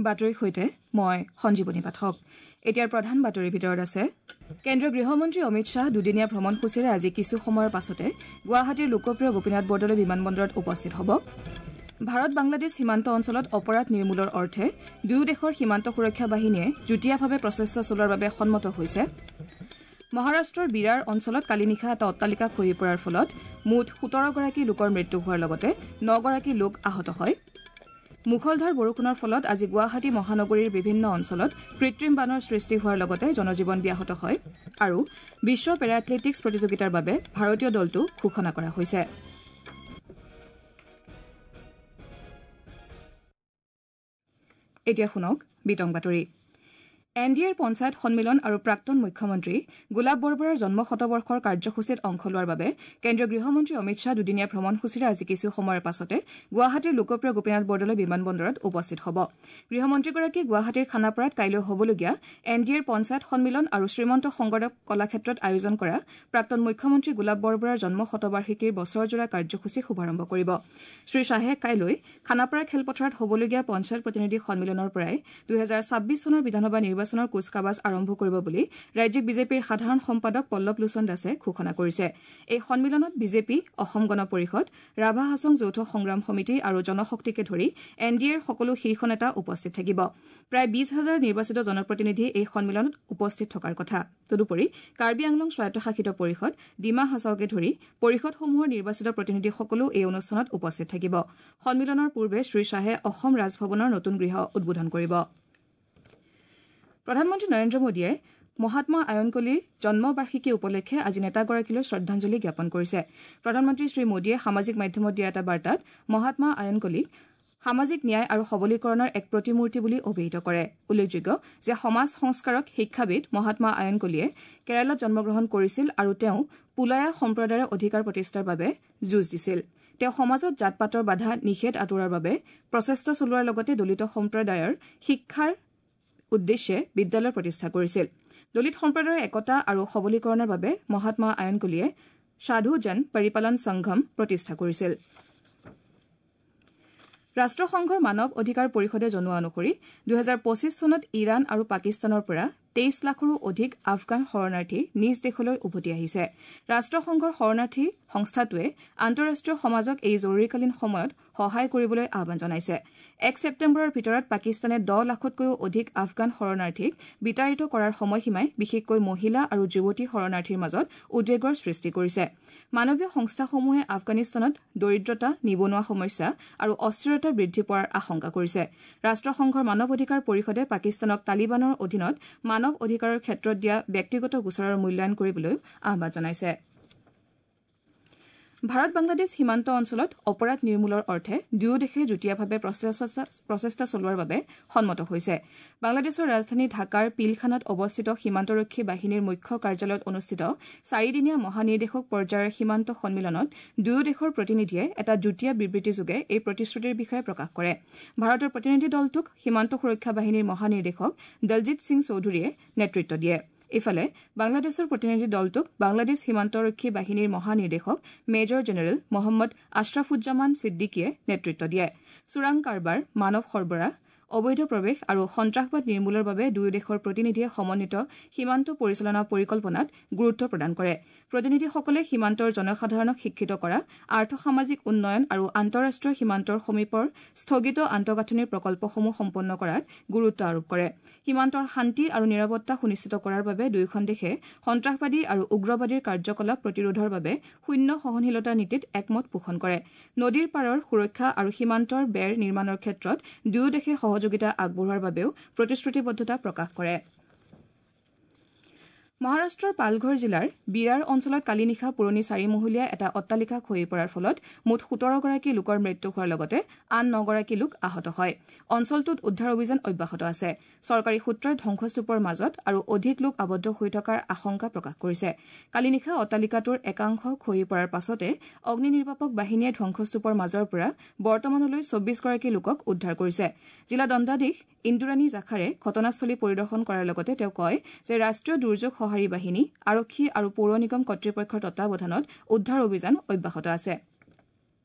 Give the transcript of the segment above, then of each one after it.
বাতৰিৰ সৈতে মই সঞ্জীৱনী পাঠক। এতিয়াৰ প্ৰধান বাতৰিৰ ভিতৰত আছে কেন্দ্ৰীয় গৃহমন্ত্ৰী অমিত শ্বাহ দুদিনীয়া ভ্ৰমণসূচীৰে আজি কিছু সময়ৰ পাছতে গুৱাহাটীৰ লোকপ্ৰিয় গোপীনাথ বৰদলৈ বিমানবন্দৰত উপস্থিত হ'ব। ভাৰত বাংলাদেশ সীমান্ত অঞ্চলত অপৰাধ নিৰ্মূলৰ অৰ্থে দুয়ো দেশৰ সীমান্ত সুৰক্ষা বাহিনীয়ে যুটীয়াভাৱে প্ৰচেষ্টা চলোৱাৰ বাবে সন্মত হৈছে। মহাৰাষ্ট্ৰৰ বিৰাৰ অঞ্চলত কালি নিশা এটা অট্টালিকা খহি পৰাৰ ফলত মুঠ ১৭গৰাকী লোকৰ মৃত্যু হোৱাৰ লগতে ৯গৰাকী লোক আহত হয়। মুষলধাৰ বৰষুণৰ ফলত আজি গুৱাহাটী মহানগৰীৰ বিভিন্ন অঞ্চলত কৃত্ৰিম বানৰ সৃষ্টি হোৱাৰ লগতে জনজীৱন ব্যাহত হয়। আৰু বিশ্ব পেৰা এথলেটিকছ প্ৰতিযোগিতাৰ বাবে ভাৰতীয় দলটো ঘোষণা কৰা হৈছে। এতিয়া শুনক বিতং বাতৰি। এন ডি এৰ পঞ্চায়ত সন্মিলন আৰু প্ৰাক্তন মুখ্যমন্ত্ৰী গোলাপ বৰবৰাৰ জন্ম শতবৰ্ষৰ কাৰ্যসূচীত অংশ লোৱাৰ বাবে কেন্দ্ৰীয় গৃহমন্ত্ৰী অমিত শ্বাহ দুদিনীয়া ভ্ৰমণসূচীৰে আজি কিছু সময়ৰ পাছতে গুৱাহাটীৰ লোকপ্ৰিয় গোপীনাথ বৰদলৈ বিমানবন্দৰত উপস্থিত হ'ব। গৃহমন্ত্ৰীগৰাকীয়ে গুৱাহাটীৰ খানাপাৰাত কাইলৈ হ'বলগীয়া এন ডি এৰ পঞ্চায়ত সন্মিলন আৰু শ্ৰীমন্ত শংকৰদেৱ কলাক্ষেত্ৰত আয়োজন কৰা প্ৰাক্তন মুখ্যমন্ত্ৰী গোলাপ বৰবৰাৰ জন্ম শতবাৰ্ষিকীৰ বছৰজোৰা কাৰ্যসূচী শুভাৰম্ভ কৰিব। শ্ৰী শ্বাহে কাইলৈ খানাপাৰা খেলপথাৰত হ'বলগীয়া পঞ্চায়ত প্ৰতিনিধি সন্মিলনৰ পৰাই ২০২৬ চনৰ বিধানসভা নিৰ্বাচনৰ কুচকাৱাজ আৰম্ভ কৰিব বুলি ৰাজ্যিক বিজেপিৰ সাধাৰণ সম্পাদক পল্লৱ লোচন দাসে ঘোষণা কৰিছে। এই সন্মিলনত বিজেপি, অসম গণ পৰিষদ, ৰাভা হাছং যৌথ সংগ্ৰাম সমিতি আৰু জনশক্তিকে ধৰি এন ডি এৰ সকলো শীৰ্ষ নেতা উপস্থিত থাকিব। প্ৰায় ২০ হাজাৰ নিৰ্বাচিত জনপ্ৰতিনিধি এই সন্মিলনত উপস্থিত থকাৰ কথা। তদুপৰি কাৰ্বি আংলং স্বায়ত্তশাসিত পৰিষদ, ডিমা হাছাওকে ধৰি পৰিষদসমূহৰ নিৰ্বাচিত প্ৰতিনিধিসকলো এই অনুষ্ঠানত উপস্থিত থাকিব। সন্মিলনৰ পূৰ্বে শ্ৰী শ্বাহে অসম ৰাজভৱনৰ নতুন গৃহ উদ্বোধন কৰিব। প্ৰধানমন্ত্ৰী নৰেন্দ্ৰ মোদীয়ে মহাত্মা আয়নকলিৰ জন্মবাৰ্ষিকী উপলক্ষে আজি নেতাগৰাকীলৈ শ্ৰদ্ধাঞ্জলি জ্ঞাপন কৰিছে। প্ৰধানমন্ত্ৰী শ্ৰী মোদীয়ে সামাজিক মাধ্যমত দিয়া এটা বাৰ্তাত মহাত্মা আয়নকলিক সামাজিক ন্যায় আৰু সবলীকৰণৰ এক প্ৰতিমূৰ্তি বুলি অভিহিত কৰে। উল্লেখযোগ্য যে সমাজ সংস্কাৰক শিক্ষাবিদ মহাত্মা আয়নকলিয়ে কেৰালাত জন্মগ্ৰহণ কৰিছিল আৰু তেওঁ পুলায়া সম্প্ৰদায়ৰ অধিকাৰ প্ৰতিষ্ঠাৰ বাবে যুঁজ দিছিল। তেওঁ সমাজত জাত পাতৰ বাধা নিষেধ আঁতৰোৱাৰ বাবে প্ৰচেষ্টা চলোৱাৰ লগতে দলিত সম্প্ৰদায়ৰ শিক্ষাৰ উদ্দেশ্যে বিদ্যালয় প্ৰতিষ্ঠা কৰিছিল। দলিত সম্প্ৰদায়ৰ একতা আৰু সবলীকৰণৰ বাবে মহাত্মা আয়নকলিয়ে সাধু জন পৰিপালন সংঘম প্ৰতিষ্ঠা কৰিছিল। ৰাষ্ট্ৰসংঘৰ মানৱ অধিকাৰ পৰিষদে জনোৱা অনুসৰি ২০২৫ চনত ইৰাণ আৰু পাকিস্তানৰ পৰা ২৩ লাখৰো অধিক আফগান শৰণাৰ্থী নিজ দেশলৈ উভতি আহিছে। ৰাষ্ট্ৰসংঘৰ শৰণাৰ্থী সংস্থাটোৱে আন্তঃৰাষ্ট্ৰীয় সমাজক এই জৰুৰীকালীন সময়ত সহায় কৰিবলৈ আহ্বান জনাইছে। ১ ছেপ্টেম্বৰৰ ভিতৰত পাকিস্তানে ১০ লাখতকৈও অধিক আফগান শৰণাৰ্থীক বিতাড়িত কৰাৰ সময়সীমাই বিশেষকৈ মহিলা আৰু যুৱতী শৰণাৰ্থীৰ মাজত উদ্বেগৰ সৃষ্টি কৰিছে। মানৱীয় সংস্থাসমূহে আফগানিস্তানত দৰিদ্ৰতা, নিবনুৱা সমস্যা আৰু অস্থিৰতা বৃদ্ধি পোৱাৰ আশংকা কৰিছে। ৰাষ্ট্ৰসংঘৰ মানৱ অধিকাৰ পৰিষদে পাকিস্তানক তালিবানৰ অধীনত মানৱ অধিকাৰৰ ক্ষেত্ৰত দিয়া ব্যক্তিগত গোচৰৰ মূল্যায়ন কৰিবলৈ আহ্বান জনাইছে। ভাৰত বাংলাদেশ সীমান্ত অঞ্চলত অপৰাধ নিৰ্মূলৰ অৰ্থে দুয়ো দেশে যুটীয়াভাৱে প্ৰচেষ্টা চলোৱাৰ বাবে সন্মত হৈছে। বাংলাদেশৰ ৰাজধানী ঢাকাৰ পিলখানাত অৱস্থিত সীমান্তৰক্ষী বাহিনীৰ মুখ্য কাৰ্যালয়ত অনুষ্ঠিত চাৰিদিনীয়া মহানিৰ্দেশক পৰ্যায়ৰ সীমান্ত সন্মিলনত দুয়ো দেশৰ প্ৰতিনিধিয়ে এটা যুটীয়া বিবৃতিযোগে এই প্ৰতিশ্ৰুতিৰ বিষয়ে প্ৰকাশ কৰে। ভাৰতৰ প্ৰতিনিধি দলটোক সীমান্ত সুৰক্ষা বাহিনীৰ মহানিৰ্দেশক দলজিৎ সিং চৌধুৰীয়ে নেতৃত্ব দিয়ে। ইফালে বাংলাদেশৰ প্ৰতিনিধি দলটোক বাংলাদেশ সীমান্তৰক্ষী বাহিনীৰ মহানিৰ্দেশক মেজৰ জেনেৰেল মহম্মদ আশ্ৰাফুজ্জামান ছিদ্দিকীয়ে নেতৃত্ব দিয়ে। চোৰাং কাৰবাৰ, মানৱ সৰবৰাহ, অবৈধ প্ৰৱেশ আৰু সন্ত্ৰাসবাদ নিৰ্মূলৰ বাবে দুয়ো দেশৰ প্ৰতিনিধিয়ে সমন্বিত সীমান্ত পৰিচালনা পৰিকল্পনাত গুৰুত্ব প্ৰদান কৰে। প্ৰতিনিধিসকলে সীমান্তৰ জনসাধাৰণক শিক্ষিত কৰা, আৰ্থসামাজিক উন্নয়ন আৰু আন্তঃৰাষ্ট্ৰীয় সীমান্তৰ সমীপৰ স্থগিত আন্তঃগাঁথনিৰ প্ৰকল্পসমূহ সম্পন্ন কৰাত গুৰুত্ব আৰোপ কৰে। সীমান্তৰ শান্তি আৰু নিৰাপত্তা সুনিশ্চিত কৰাৰ বাবে দুয়োখন দেশে সন্ত্ৰাসবাদী আৰু উগ্ৰবাদীৰ কাৰ্যকলাপ প্ৰতিৰোধৰ বাবে শূন্য সহনশীলতাৰ নীতিত একমত পোষণ কৰে। নদীৰ পাৰৰ সুৰক্ষা আৰু সীমান্তৰ বেৰ নিৰ্মাণৰ ক্ষেত্ৰত দুয়ো দেশে সহযোগিতা আগবঢ়োৱাৰ বাবেও প্ৰতিশ্ৰুতিবদ্ধতা প্ৰকাশ কৰে। মহাৰাষ্ট্ৰৰ পালঘৰ জিলাৰ বিৰাৰ অঞ্চলত কালি নিশা পুৰণি চাৰিমহলীয়া এটা অট্টালিকা খহি পৰাৰ ফলত মুঠ ১৭গৰাকী লোকৰ মৃত্যু হোৱাৰ লগতে আন ৯গৰাকী লোক আহত হয়। অঞ্চলটোত উদ্ধাৰ অভিযান অব্যাহত আছে। চৰকাৰী সূত্ৰই ধ্বংসস্তূপৰ মাজত আৰু অধিক লোক আবদ্ধ হৈ থকাৰ আশংকা প্ৰকাশ কৰিছে। কালি নিশা অট্টালিকাটোৰ একাংশ খহি পৰাৰ পাছতে অগ্নি নিৰ্বাপক বাহিনীয়ে ধ্বংসস্তূপৰ মাজৰ পৰা বৰ্তমানলৈ ২৪গৰাকী লোকক উদ্ধাৰ কৰিছে। জিলা দণ্ডাধীশ ইন্দুৰাণী জাখাৰে ঘটনাস্থলী পৰিদৰ্শন কৰাৰ লগতে তেওঁ কয় যে ৰাষ্ট্ৰীয় দুৰ্যোগ সঁহাৰি বাহিনী, আৰক্ষী আৰু পৌৰ নিগম কৰ্তৃপক্ষৰ তত্বাৱধানত উদ্ধাৰ অভিযান অব্যাহত আছে।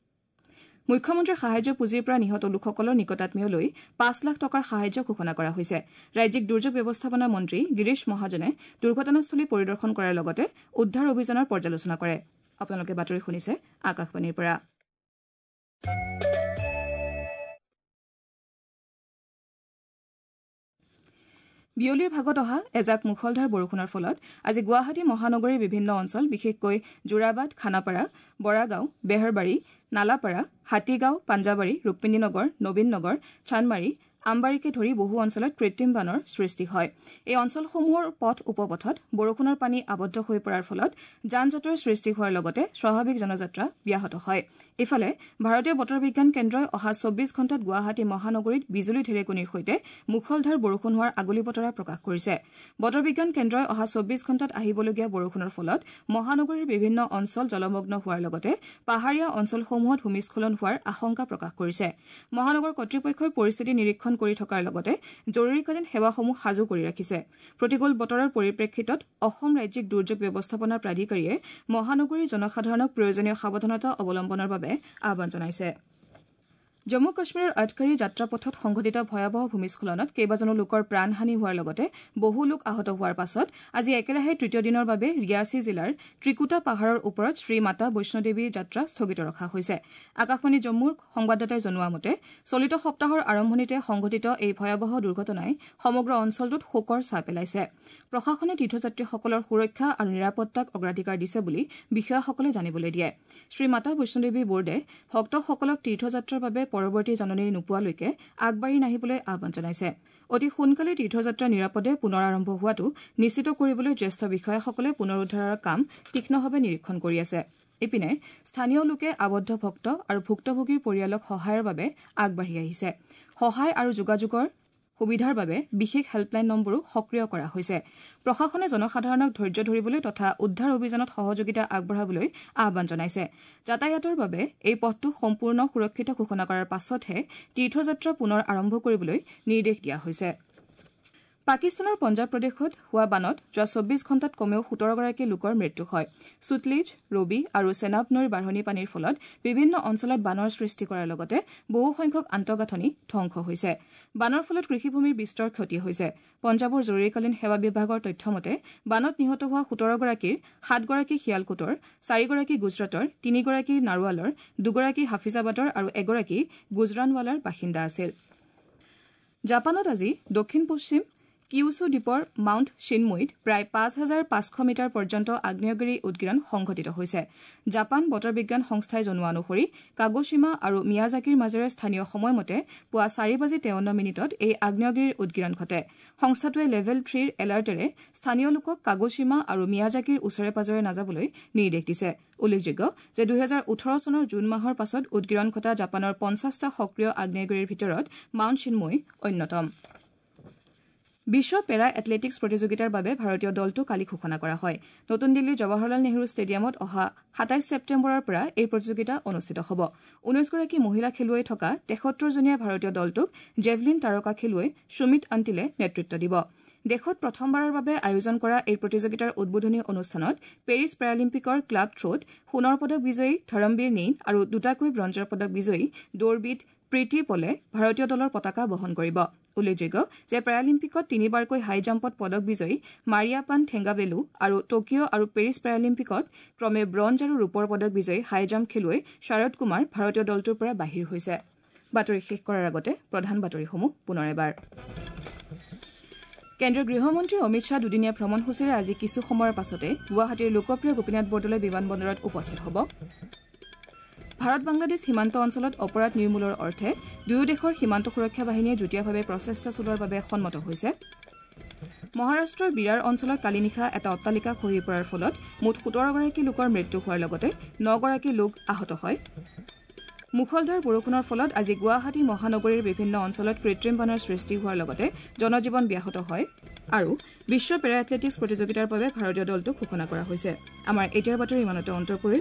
মুখ্যমন্ত্ৰীৰ সাহায্য পুঁজিৰ পৰা নিহত লোকসকলৰ নিকটাত্মীয়লৈ 5 লাখ টকাৰ সাহায্য ঘোষণা কৰা হৈছে। ৰাজ্যিক দুৰ্যোগ ব্যৱস্থাপনা মন্ত্ৰী গিৰীশ মহাজনে দুৰ্ঘটনাস্থলী পৰিদৰ্শন কৰাৰ লগতে উদ্ধাৰ অভিযানৰ পৰ্যালোচনা কৰে। আপোনালোকে বাতৰি শুনিছে আকাশবাণীৰ পৰা। বিয়লিৰ ভাগত অহা এজাক মুষলধাৰ বৰষুণৰ ফলত আজি গুৱাহাটী মহানগৰীৰ বিভিন্ন অঞ্চল বিশেষকৈ যোৰাবাট, খানাপাৰা, বৰাগাঁও, বেহৰবাৰী, নালাপাৰা, হাতীগাঁও, পাঞ্জাবাৰী, ৰুক্মিণীনগৰ, নবীন নগৰ, চানমাৰী, আমবাৰীকে ধৰি বহু অঞ্চলত কৃত্ৰিম বানৰ সৃষ্টি হয়। এই অঞ্চলসমূহৰ পথ উপপথত বৰষুণৰ পানী আবদ্ধ হৈ পৰাৰ ফলত যান জঁটৰ সৃষ্টি হোৱাৰ লগতে স্বাভাৱিক জনযাত্ৰা ব্যাহত হয়। ইফালে ভাৰতীয় বতৰ বিজ্ঞান কেন্দ্ৰই অহা 24 ঘণ্টাত গুৱাহাটী মহানগৰীত বিজুলী ঢেৰেকনিৰ সৈতে মুষলধাৰ বৰষুণ হোৱাৰ আগলি বতৰা প্ৰকাশ কৰিছে। বতৰ বিজ্ঞান কেন্দ্ৰই অহা 24 ঘণ্টাত আহিবলগীয়া বৰষুণৰ ফলত মহানগৰীৰ বিভিন্ন অঞ্চল জলমগ্ন হোৱাৰ লগতে পাহাৰীয়া অঞ্চলসমূহত ভূমিস্খলন হোৱাৰ আশংকা প্ৰকাশ কৰিছে। মহানগৰ কৰ্তৃপক্ষই পৰিস্থিতি নিৰীক্ষণ কৰি থকাৰ লগতে জৰুৰীকালীন সেৱাসমূহ সাজু কৰি ৰাখিছে। প্ৰতিকূল বতৰৰ পৰিপ্ৰেক্ষিতত অসম ৰাজ্যিক দুৰ্যোগ ব্যৱস্থাপনা প্ৰাধিকাৰীয়ে মহানগৰীৰ জনসাধাৰণক প্ৰয়োজনীয় সাৱধানতা অৱলম্বনৰ বাবে আহ্বান জনাইছে। জম্মু কাশ্মীৰৰ আটকাৰী যাত্ৰাপথত সংঘটিত ভয়াৱহ ভূমিস্খলনত কেইবাজনো লোকৰ প্ৰাণহানি হোৱাৰ লগতে বহু লোক আহত হোৱাৰ পাছত আজি একেৰাহে তৃতীয় দিনৰ বাবে ৰিয়াছি জিলাৰ ত্ৰিকুটা পাহাৰৰ ওপৰত শ্ৰীমাতা বৈষ্ণোদেৱী যাত্ৰা স্থগিত ৰখা হৈছে। আকাশবাণী জম্মুৰ সংবাদদাতাই জনোৱা মতে চলিত সপ্তাহৰ আৰম্ভণিতে সংঘটিত এই ভয়াৱহ দুৰ্ঘটনাই সমগ্ৰ অঞ্চলটোত শোকৰ ছাঁ পেলাইছে। প্ৰশাসনে তীৰ্থযাত্ৰীসকলৰ সুৰক্ষা আৰু নিৰাপত্তাক অগ্ৰাধিকাৰ দিছে বুলি বিষয়াসকলে জানিবলৈ দিয়ে। শ্ৰীমাতা বৈষ্ণোদেৱী বোৰ্ডে ভক্তসকলক তীৰ্থযাত্ৰাৰ বাবে পৰৱৰ্তী জাননী নোপোৱালৈকে আগবাঢ়ি নাহিবলৈ আহ্বান জনাইছে। অতি সোনকালে তীৰ্থযাত্ৰা নিৰাপদে পুনৰ আৰম্ভ হোৱাটো নিশ্চিত কৰিবলৈ জ্যেষ্ঠ বিষয়াসকলে পুনৰুদ্ধাৰৰ কাম তীক্ষ্ণভাৱে নিৰীক্ষণ কৰি আছে। ইপিনে স্থানীয় লোকে আবদ্ধ ভক্ত আৰু ভুক্তভোগীৰ পৰিয়ালক সহায়ৰ বাবে আগবাঢ়ি আহিছে। সহায় আৰু যোগাযোগৰ সুবিধাৰ বাবে বিশেষ হেল্পলাইন নম্বৰো সক্ৰিয় কৰা হৈছে। প্ৰশাসনে জনসাধাৰণক ধৈৰ্য ধৰিবলৈ তথা উদ্ধাৰ অভিযানত সহযোগিতা আগবঢ়াবলৈ আহ্বান জনাইছে। যাতায়াতৰ বাবে এই পথটো সম্পূৰ্ণ সুৰক্ষিত ঘোষণা কৰাৰ পাছতহে তীৰ্থযাত্ৰা পুনৰ আৰম্ভ কৰিবলৈ নিৰ্দেশ দিয়া হৈছে। পাকিস্তানৰ পঞ্জাৱ প্ৰদেশত হোৱা বানত যোৱা 24 ঘণ্টাত কমেও 17গৰাকী লোকৰ মৃত্যু হয়। সুতলেজ, ৰবি আৰু চেনাব নৈৰ বাঢ়নি পানীৰ ফলত বিভিন্ন অঞ্চলত বানৰ সৃষ্টি কৰাৰ লগতে বহুসংখ্যক আন্তঃগাঁথনি ধ্বংস হৈছে। বানৰ ফলত কৃষিভূমিৰ বিস্তৰ ক্ষতি হৈছে। পঞ্জাৱৰ জৰুৰীকালীন সেৱা বিভাগৰ তথ্য মতে বানত নিহত হোৱা 17গৰাকীৰ 7গৰাকী শিয়ালকোটৰ, 4গৰাকী গুজৰাটৰ, 3গৰাকী নাৰোৱালৰ, 2গৰাকী হাফিজাবাদৰ আৰু এগৰাকী গুজৰানৱালাৰ বাসিন্দা আছিল। জাপানত আজি দক্ষিণ পশ্চিম কিউছু দ্বীপৰ মাউণ্ট শ্বিনমুইত প্ৰায় 5500 মিটাৰ পৰ্যন্ত আগ্নেয়গিৰি উদগীৰণ সংঘটিত হৈছে। জাপান বতৰ বিজ্ঞান সংস্থাই জনোৱা অনুসৰি কাগোশ্বিমা আৰু মিয়াজাকিৰ মাজেৰে স্থানীয় সময়মতে পুৱা 4:53 এই আগ্নেয়গিৰিৰ উদগীৰণ ঘটে। সংস্থাটোৱে লেভেল 3ৰ এলাৰ্টেৰে স্থানীয় লোকক কাগোশ্বিমা আৰু মিয়াজাকিৰ ওচৰে পাজৰে নাযাবলৈ নিৰ্দেশ দিছে। উল্লেখযোগ্য যে 2018 চনৰ জুন মাহৰ পাছত উদগীৰণ ঘটা জাপানৰ 50টা সক্ৰিয় আগ্নেয়গিৰিৰ ভিতৰত মাউণ্ট শ্বিনমুই অন্যতম। বিশ্ব পেৰা এথলেটিকছ প্ৰতিযোগিতাৰ বাবে ভাৰতীয় দলটো কালি ঘোষণা কৰা হয়। নতুন দিল্লীৰ জৱাহৰলাল নেহৰু ষ্টেডিয়ামত অহা 27 ছেপ্টেম্বৰৰ পৰা এই প্ৰতিযোগিতা অনুষ্ঠিত হ'ব। 19গৰাকী মহিলা খেলুৱৈ থকা 73জনীয়া ভাৰতীয় দলটোক জেভলিন তাৰকা খেলুৱৈ সুমিত আন্তিলে নেতৃত্ব দিব। দেশত প্ৰথমবাৰৰ বাবে আয়োজন কৰা এই প্ৰতিযোগিতাৰ উদ্বোধনী অনুষ্ঠানত পেৰিছ পেৰালিম্পিকৰ ক্লাব থ্ৰত সোণৰ পদক বিজয়ী ধৰমবীৰ নেইন আৰু দুটাকৈ ব্ৰঞ্জৰ পদক বিজয়ী দৌৰবিদ প্ৰীতি পলে ভাৰতীয় দলৰ পতাকা বহন কৰিব। উল্লেখযোগ্য যে পেৰালিম্পিকত তিনিবাৰকৈ হাই জাম্পত পদক বিজয়ী মাৰিয়াপান থেংগাভেলু আৰু টকিঅ' আৰু পেৰিছ পেৰালিম্পিকত ক্ৰমে ব্ৰঞ্জ আৰু ৰূপৰ পদক বিজয়ী হাই জাম্প খেলুৱৈ শাৰদ কুমাৰ ভাৰতীয় দলটোৰ পৰা বাহিৰ হৈছে। বাতৰি শেষ কৰাৰ আগতে প্ৰধান বাতৰিসমূহ পুনৰ এবাৰ। কেন্দ্ৰীয় গৃহমন্ত্ৰী অমিত শ্বাহ দুদিনীয়া ভ্ৰমণসূচীৰে আজি কিছু সময়ৰ পাছতে গুৱাহাটীৰ লোকপ্ৰিয় গোপীনাথ বৰদলৈ বিমানবন্দৰত উপস্থিত হ'ব। ভাৰত বাংলাদেশ সীমান্ত অঞ্চলত অপৰাধ নিৰ্মূলৰ অৰ্থে দুয়ো দেশৰ সীমান্ত সুৰক্ষা বাহিনীয়ে যুটীয়াভাৱে প্ৰচেষ্টা চলোৱাৰ বাবে সন্মত হৈছে। মহাৰাষ্ট্ৰৰ বিৰাৰ অঞ্চলত কালি নিশা এটা অট্টালিকা খহি পৰাৰ ফলত মুঠ 17গৰাকী লোকৰ মৃত্যু হোৱাৰ লগতে 9গৰাকী লোক আহত হয়। মুষলধাৰ বৰষুণৰ ফলত আজি গুৱাহাটী মহানগৰীৰ বিভিন্ন অঞ্চলত কৃত্ৰিম বানৰ সৃষ্টি হোৱাৰ লগতে জনজীৱন ব্যাহত হয়। আৰু বিশ্ব পেৰা এথলেটিকছ প্ৰতিযোগিতাৰ বাবে ভাৰতীয় দলটোক ঘোষণা কৰা হৈছে। আমাৰ এতিয়াৰ বাতৰি ইমানতে অন্ত পৰিল।